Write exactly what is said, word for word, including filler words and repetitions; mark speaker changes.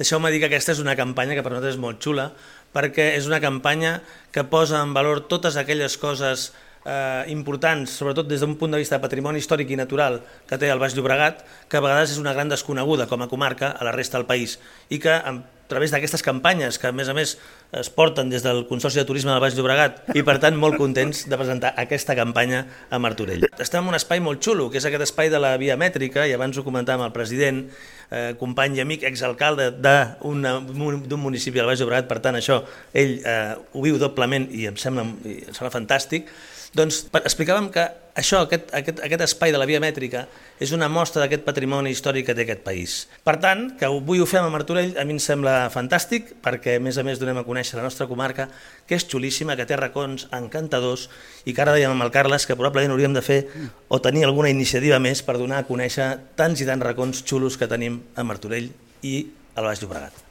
Speaker 1: Deixeu-me dir que aquesta és una campanya que per nosaltres és molt xula, perquè és una campanya que posa en valor totes aquelles coses eh, importants, sobretot des d'un punt de vista de patrimoni històric i natural que té el Baix Llobregat, que a vegades és una gran desconeguda com a comarca a la resta del país, i que a través d'aquestes campanyes, que a més a més es porten des del Consorci de Turisme del Baix Llobregat, i per tant molt contents de presentar aquesta campanya a Martorell. Estem en un espai molt xulo, que és aquest espai de la via mètrica, i abans ho comentàvem el president, eh, company i amic, exalcalde d'un municipi del Baix Llobregat, per tant això ell eh, ho viu doblement i em sembla, i em sembla fantàstic. Doncs explicàvem que això, aquest, aquest, aquest espai de la via mètrica és una mostra d'aquest patrimoni històric que té aquest país. Per tant, que avui ho fem a Martorell a mi em sembla fantàstic, perquè a més a més donem a conèixer la nostra comarca, que és xulíssima, que té racons encantadors, i que ara dèiem amb el Carles que probablement hauríem de fer o tenir alguna iniciativa més per donar a conèixer tants i tants racons xulos que tenim a Martorell i al Baix Llobregat.